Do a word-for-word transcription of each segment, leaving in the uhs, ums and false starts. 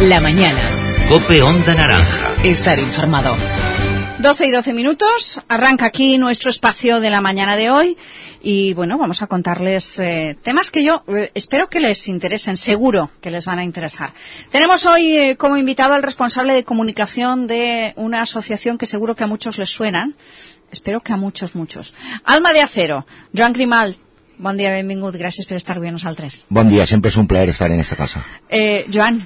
La mañana. COPE Onda Naranja. Estar informado. doce y doce minutos, arranca aquí nuestro espacio de la mañana de hoy y bueno, vamos a contarles eh, temas que yo eh, espero que les interesen, seguro que les van a interesar. Tenemos hoy eh, como invitado al responsable de comunicación de una asociación que seguro que a muchos les suenan, espero que a muchos, muchos. Alma de Acero, Joan Grimalt, bon dia, benvingut, gràcies per estar avui amb nosaltres. Bon dia, sempre és un plaer estar en esta casa. Eh, Joan,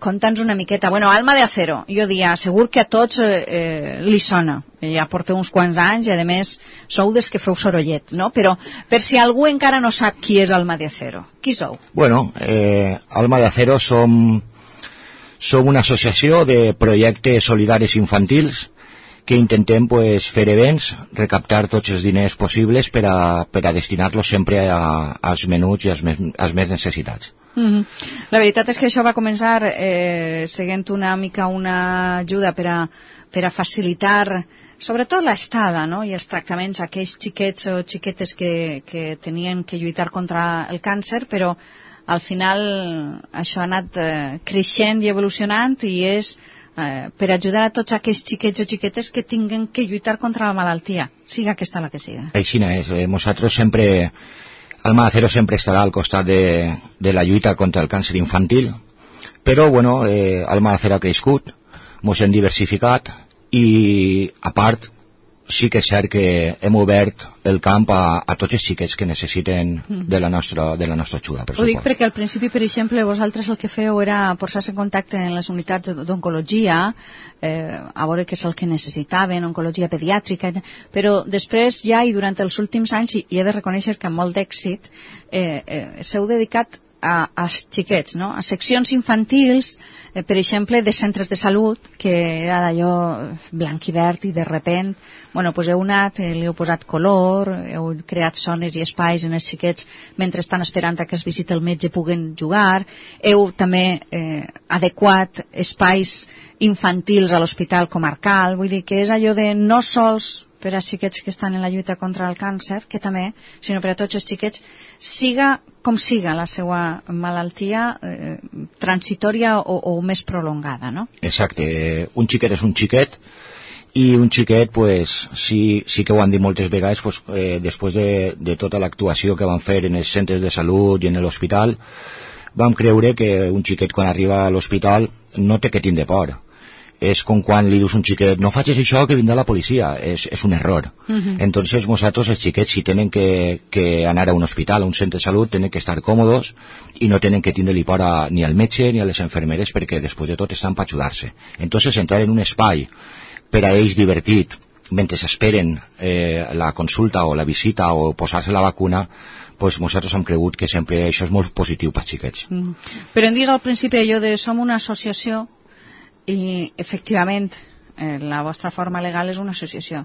conta'ns una miqueta. Bueno, Alma de Acero, jo dia, segur que a tots eh, eh, li sona. Ja porteu uns quants anys i, a més, sou des que feu sorollet, no? Però, per si algú encara no sap qui és Alma de Acero, qui sou? Bueno, eh, Alma de Acero som, som una associació de projectes solidaris infantils que intentem pues, fer events, recaptar tots els diners possibles per a, per a destinar-los sempre a, als menuts i als més, als més necessitats. Mm-hmm. La veritat és que això va començar eh, seguint una mica una ajuda per a, per a facilitar sobretot l'estada, no? I els tractaments a aquells xiquets o xiquetes que, que tenien que lluitar contra el càncer, però al final això ha anat eh, creixent i evolucionant i és eh, per ajudar a tots aquells xiquets o xiquetes que tinguen que lluitar contra la malaltia, siga aquesta la que siga. Així és, eh, nosaltres sempre... Alma de Acero sempre estarà al costat de, de la lluita contra el càncer infantil, però, bueno, eh, Alma de Acero ha crescut, mos hem diversificat i, a part, sí que és cert que hem obert el camp a, a tots els xiquets que necessiten de la nostra, de la nostra ajuda. Ho dic perquè al principi, per exemple, vosaltres el que feu era posar-se en contacte en les unitats d'oncologia, eh, a veure què és el que necessitaven, oncologia pediàtrica, però després ja i durant els últims anys, i he de reconèixer que amb molt d'èxit, eh, eh, s'heu dedicat a, als xiquets, no? A seccions infantils, eh, per exemple, de centres de salut, que era d'allò blanc i verd i de repent, bueno, pues heu anat, eh, li heu posat color, heu creat zones i espais en els xiquets mentre estan esperant a que es visiti el metge puguen jugar, heu també eh, adequat espais infantils a l'hospital comarcal, vull dir que és allò de no sols per als xiquets que estan en la lluita contra el càncer, que també, sinó per a tots els xiquets, siga com siga la seva malaltia eh, transitòria o, o més prolongada, no? Exacte, un xiquet és un xiquet i un xiquet, pues, sí, sí que ho han dit moltes vegades, pues, eh, després de, de tota l'actuació que van fer en els centres de salut i en l'hospital, vam creure que un xiquet quan arriba a l'hospital no té que tindre por. És com quan li dius a un xiquet, no facis això que vindrà la policia, és, és un error. Uh-huh. Entonces nosaltres els xiquets si tenen que, que anar a un hospital, a un centre de salut, tenen que estar còmodes i no tenen que tindre-li por a, ni al metge ni a les enfermeres perquè després de tot estan per ajudar-se. Entonces entrar en un espai per a ells divertit mentre esperen eh, la consulta o la visita o posar-se la vacuna, pues nosaltres hem cregut que sempre això és molt positiu pels xiquets. Uh-huh. Però hem dit al principi allò de som una associació i efectivament eh, la vostra forma legal és una associació,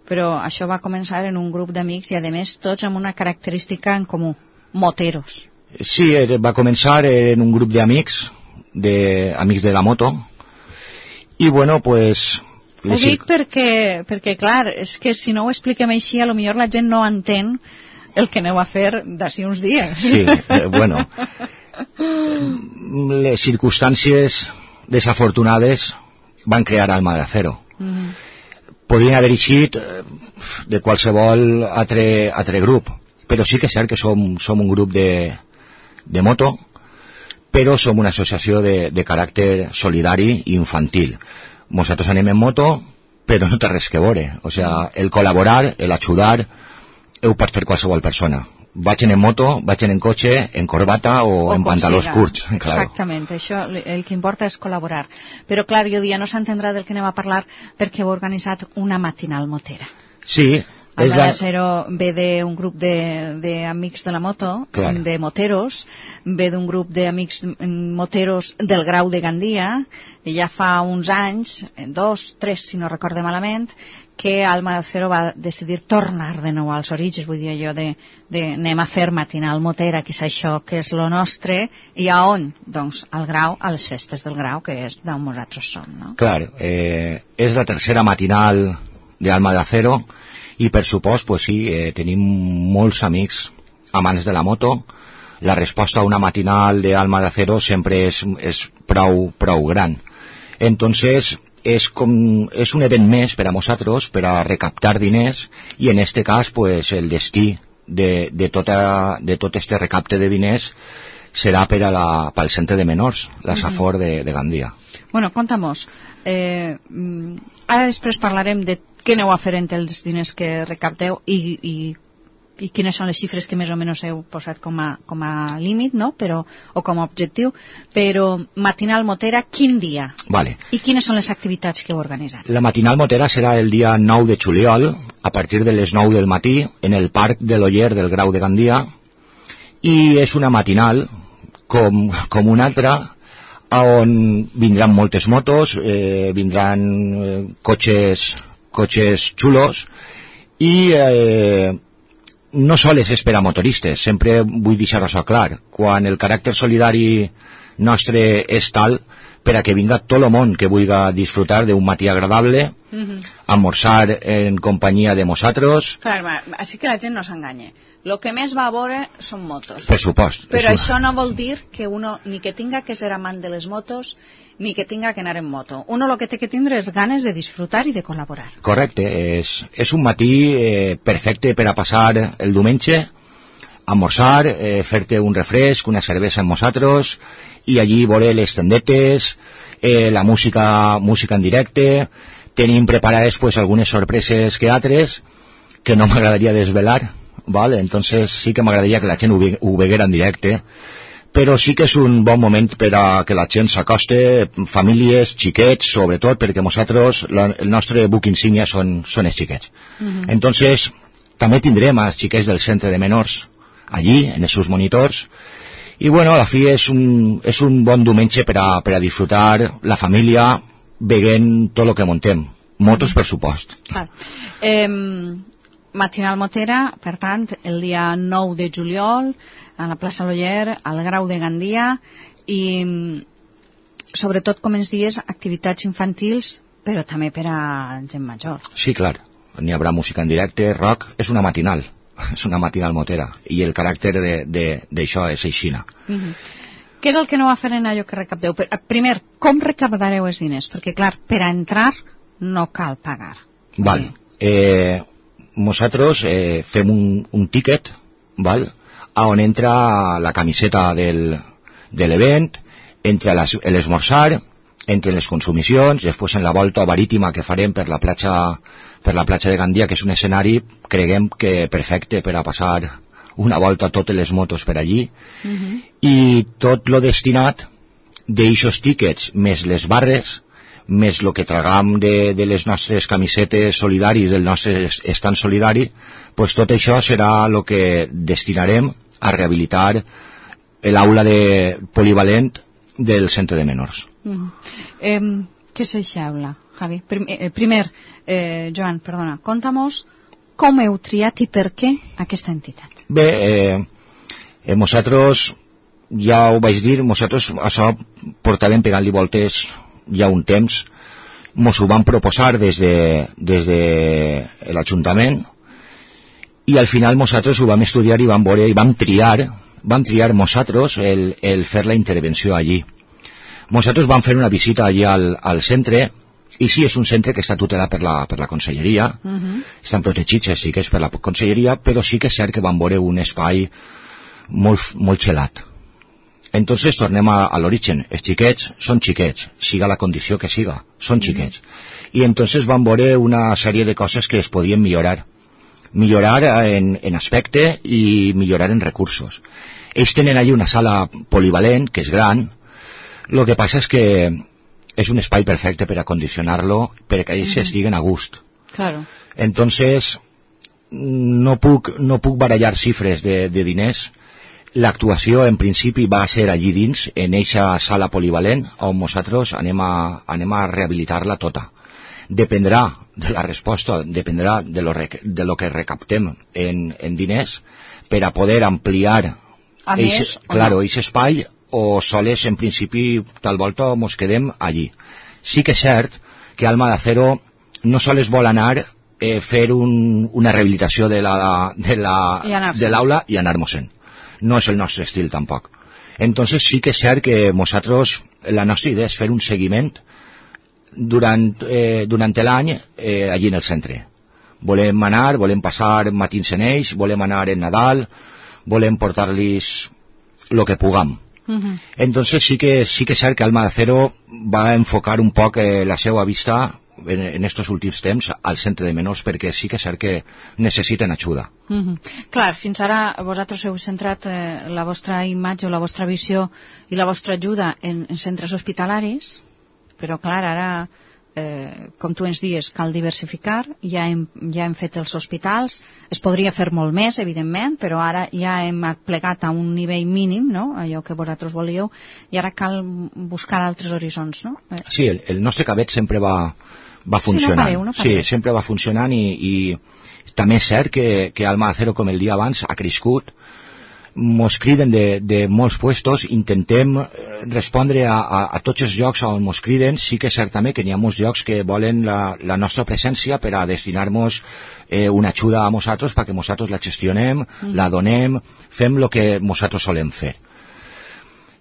però això va començar en un grup d'amics i a més tots amb una característica en comú, moteros. Sí, va començar en un grup d'amics, de, amics de la moto, i bueno, pues... Ho dic perquè, perquè clar, és que si no ho expliquem així, a lo millor la gent no entén el que aneu a fer d'ací uns dies. Sí, eh, bueno, les circumstàncies desafortunades van crear Alma de Acero. Mm-hmm. Podrien haver eixit de qualsevol altre, altre grup, però sí que és cert que som, som un grup de, de moto, però som una associació de, de caràcter solidari i infantil. Nosaltres anem en moto, però no té res que veure. O sea, el col·laborar, el ajudar, ho pot fer qualsevol persona. Vaig en moto, vaig en cotxe, en corbata o, o en pantalons curts. Claro. Exactament, això el que importa és col·laborar. Però clar, jo dia no s'entendrà del que anem a parlar perquè heu organitzat una matinal motera. Sí. Alma de Acero ve d'un grup d'amics de, de la moto, claro, de moteros, ve d'un grup d'amics moteros del Grau de Gandia, i ja fa uns anys, dos, tres, si no recorde malament, que Alma de Acero va decidir tornar de nou als orígens, vull dir allò de, de anem a fer matinal motera, que és això que és lo nostre, i a on? Doncs al Grau, a les festes del Grau, que és d'on nosaltres som, no? Clar, eh, és la tercera matinal d'Alma de Acero, i per supost, pues sí, eh, tenim molts amics amants de la moto, la resposta a una matinal de Alma de Acero sempre és, és prou, prou gran. Entonces, és, com, és un event més per a nosaltres, per a recaptar diners, i en este cas, pues, el destí de, de, tota, de tot este recapte de diners serà per a la, pel centre de menors, la Safor de, de Gandia. Bueno, conta'mos. Eh, ara després parlarem de què aneu a fer entre els diners que recapteu i, i, i quines són les xifres que més o menys heu posat com a, com a límit, no? Però, o com a objectiu, però Matinal Motera, quin dia? Vale. I quines són les activitats que heu organitzat? La Matinal Motera serà el dia nou de juliol, a partir de les nou del matí, en el Parc de l'Oller del Grau de Gandia, i és una matinal com, com una altra, on vindran moltes motos, eh, vindran eh, cotxes, cotxes xulos, i eh, no sols és per a motoristes, sempre vull deixar-ho clar, quan el caràcter solidari nostre és tal per a que vinga tot el món que vulgui disfrutar d'un matí agradable, mm-hmm. almorzar en companyia de nosaltres. Clar, així que la gent no s'enganya. Lo que més va a veure són motos. Per supost. Però això no vol dir que uno ni que tinga que ser amant de les motos ni que tinga que anar en moto. Uno lo que té que tindre és ganes de disfrutar i de col·laborar. Correcte. És, és un matí eh, perfecte per a passar el diumenge, almorzar, eh, fer-te un refresc, una cervesa amb nosaltres, i allí veure les tendetes, eh, la música, música en directe. Tenim preparades pues, algunes sorpreses que altres que no m'agradaria desvelar. Vale, entonces sí que m'agradaria que la gent ho, ve, ho veguera en directe, però sí que és un bon moment per a que la gent s'acoste, famílies, xiquets, sobretot, perquè nosaltres, la, el nostre buc insígnia són, són els xiquets. Mm-hmm. Entonces, també tindrem els xiquets del centre de menors allí, en els seus monitors, i bueno, a la fi és un, és un bon diumenge per a, per a disfrutar la família veient tot el que muntem. Motos, per supost. Clar. Eh... Matinal Motera, per tant, el dia nou de juliol, a la plaça L'Oller, al Grau de Gandia, i sobretot, com ens dies, activitats infantils, però també per a gent major. Sí, clar. N'hi haurà música en directe, rock, és una matinal, és una matinal Motera, i el caràcter d'això és aixina. Mm-hmm. Què és el que no va fer en allò que recapteu? Primer, com recaptareu els diners? Perquè, clar, per a entrar no cal pagar. Val. Eh... Nosaltres eh, fem un, un tíquet, val? A on entra la camiseta del, de l'event, entra l'esmorzar, entre les consumicions, després en la volta marítima que farem per la platja, per la platja de Gandia, que és un escenari, creguem que perfecte per a passar una volta a totes les motos per allí, mm-hmm. i tot lo destinat d'eixos tíquets, més les barres, més el que tragam de, de les nostres camisetes solidaris, del nostre estant solidari, pues tot això serà el que destinarem a rehabilitar l'aula de polivalent del centre de menors. Mm. Eh, què és aquesta aula, Javi? Prim, eh, primer, eh, Joan, perdona, conta'mos com heu triat i per què aquesta entitat. Bé, eh, eh, nosaltres, ja ho vaig dir, nosaltres això portàvem pegant-li voltes ja un temps, mos ho van proposar des de, des de l'Ajuntament, i al final nosaltres ho vam estudiar i vam veure i vam triar, vam triar nosaltres el, el fer la intervenció allí. Nosaltres vam fer una visita allí al, al centre, i sí, és un centre que està tutelat per la, per la conselleria, uh-huh. Estan protegits, sí que és per la conselleria, però sí que és cert que vam veure un espai molt, molt xelat. Entonces tornem a, a l'origen. Els xiquets són xiquets, siga la condició que siga, són xiquets. Mm-hmm. I entonces van veure una sèrie de coses que es podien millorar. Millorar en, en aspecte i millorar en recursos. Ells tenen allí una sala polivalent, que és gran. Lo que passa és que és un espai perfecte per acondicionar-lo, perquè ells mm-hmm. estiguen a gust. Claro. Entonces, no puc, no puc barallar xifres de, de diners. L'actuació, en principi, va ser allí dins, en eixa sala polivalent, on nosaltres anem a, anem a rehabilitar-la tota. Dependrà de la resposta, dependrà de lo, rec, de lo que recaptem en, en diners per a poder ampliar a eixe, més, claro, no? eixe espai, o soles, en principi, tal volta mos quedem allí. Sí que és cert que Alma de Acero no sols vol anar eh, fer un, una rehabilitació de l'aula la, de la, de i anar-nos-en. no és el nostre estil tampoc. Entonces sí que és cert que nosaltres, la nostra idea és fer un seguiment durant, eh, durant l'any eh, allí en el centre. Volem anar, volem passar matins en ells, volem anar en Nadal, volem portar-los el que puguem. Uh-huh. Entonces sí que sí que és cert que Alma de Acero va enfocar un poc eh, la seva vista en, en estos últims temps al centre de menors, perquè sí que és cert que necessiten ajuda. Uh-huh. Clar, fins ara vosaltres heu centrat eh, la vostra imatge o la vostra visió i la vostra ajuda en, en centres hospitalaris, però clar, ara Eh, com tu ens dius, cal diversificar, ja hem, ja hem fet els hospitals, es podria fer molt més, evidentment, però ara ja hem plegat a un nivell mínim, no?, allò que vosaltres volíeu, i ara cal buscar altres horitzons, no? Eh. Sí, el, el nostre cabet sempre va, va funcionant. Sí, no pareu, no pareu. Sí, sempre va funcionant i, i també és cert que, que Alma de Acero, com el dia abans, ha crescut. Mos criden de, de molts puestos, intentem respondre a, a, a tots els llocs on mos criden. Sí que és cert també que hi ha molts llocs que volen la, la nostra presència per a destinar-nos eh, una ajuda a nosaltres perquè nosaltres la gestionem, mm. la donem, fem el que nosaltres solem fer.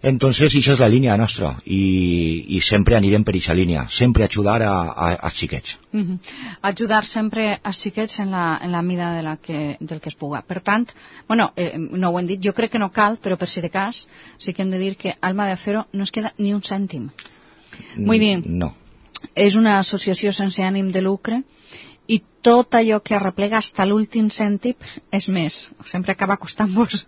Entonces, això és la línia nostra i, i sempre anirem per aquesta línia, sempre ajudar a, a, als xiquets. Uh-huh. Ajudar sempre als xiquets en la, en la mida de la que, del que es puga. Per tant, bueno, eh, no ho hem dit, jo crec que no cal, però per si de cas sí que hem de dir que Alma de Acero no es queda ni un cèntim. Vull dir, no. És una associació sense ànim de lucre i tot allò que arreplega fins l'últim cèntim és més. Sempre acaba costant-vos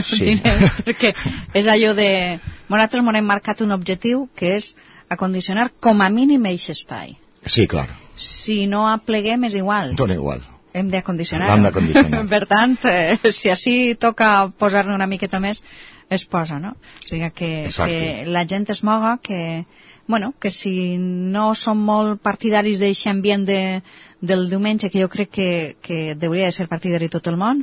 sí. diners, perquè és allò de... Nosaltres m'hem marcat un objectiu que és acondicionar com a mínim eix espai. Sí, clar. Si no apleguem és igual. Dona igual. Hem d'acondicionar. Hem d'acondicionar. Per tant, eh, si així toca posar-ne una miqueta més, es posa, no? O sigui, que, que la gent es moga, que... Bueno, que si no som molt partidaris d'aquest ambient de, del diumenge, que jo crec que, que hauria de ser partidari tot el món,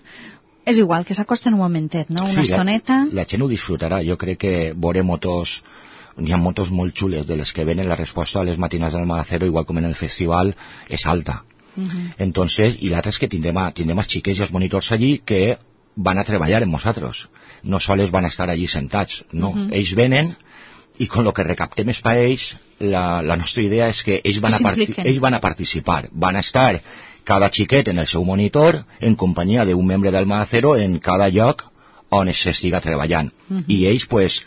és igual, que s'acosten un momentet, no? Una sí, estoneta... La, la gent ho disfrutarà. Jo crec que veurem motos... Hi ha motos molt xules de les que venen. La resposta a les matinades d'Alma de Acero, igual com en el festival, és alta. Uh-huh. Entonces, i l'altre és que tindrem, a, tindrem els xiquets i els monitors allí que van a treballar amb nosaltres. No sols van a estar allí sentats, no. Uh-huh. Ells venen i con lo que recaptem és per ells, la, la nostra idea és que ells van, a parti ells van a participar, van a estar cada xiquet en el seu monitor en companyia d'un membre d'Alma de Acero en cada lloc on s'estiga treballant. Uh-huh. I ells pues,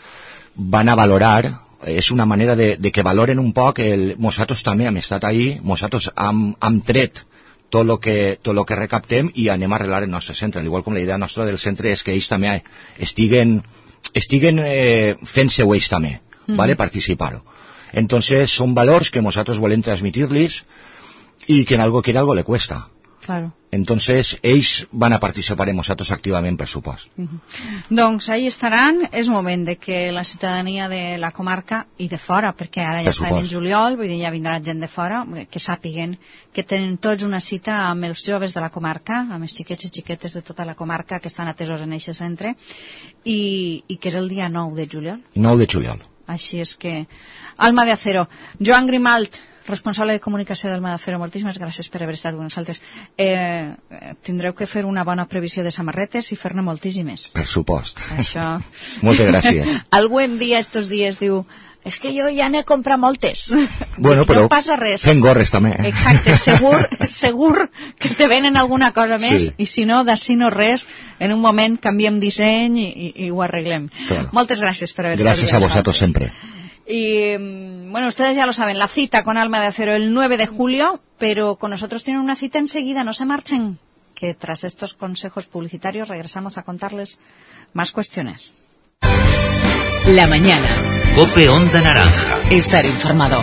van a valorar, és una manera de, de que valoren un poc, el, nosaltres també hem estat ahí, nosaltres hem, hem tret tot el que, tot lo que recaptem i anem a arreglar el nostre centre, al igual com la idea nostra del centre és que ells també estiguen, estiguen eh, fent-se ells també. Mm-hmm. ¿Vale? Participar. Entonces son valores que nosotros volem transmitirles y que en algo quiere algo le cuesta. Claro. Entonces ells van a participar en nosaltres activament, per supost. Mm-hmm. Doncs ahí estaran. És moment de que la ciutadania de la comarca i de fora, perquè ara ja està en juliol, vull dir, ja vindrà gent de fora, que sàpiguen que tenen tots una cita amb els joves de la comarca, amb els xiquets i xiquetes de tota la comarca que estan atesos en aquest centre, i, i que és el dia nou de juliol. nou de juliol. Així és que... Alma de Acero. Joan Grimalt, responsable de comunicació d'Alma de Acero, moltíssimes gràcies per haver estat amb nosaltres. Eh, tindreu que fer una bona previsió de samarretes i fer-ne moltíssimes. Per supost. Això... Moltes gràcies. Algú em dia estos dies, diu, és que jo ja n'he comprat moltes. Bueno, però no passa res. fent gorres també. Exacte, segur, segur que te venen alguna cosa més, sí. I si no, d'ací no res, en un moment canviem disseny i, i, i ho arreglem. Claro. Moltes gràcies per haver estat. Gràcies a vosaltres sempre. Y bueno, ustedes ya lo saben, la cita con Alma de Acero el nueve de julio, pero con nosotros tienen una cita enseguida, no se marchen, que tras estos consejos publicitarios regresamos a contarles más cuestiones. La mañana. COPE Onda Naranja. Estar informado.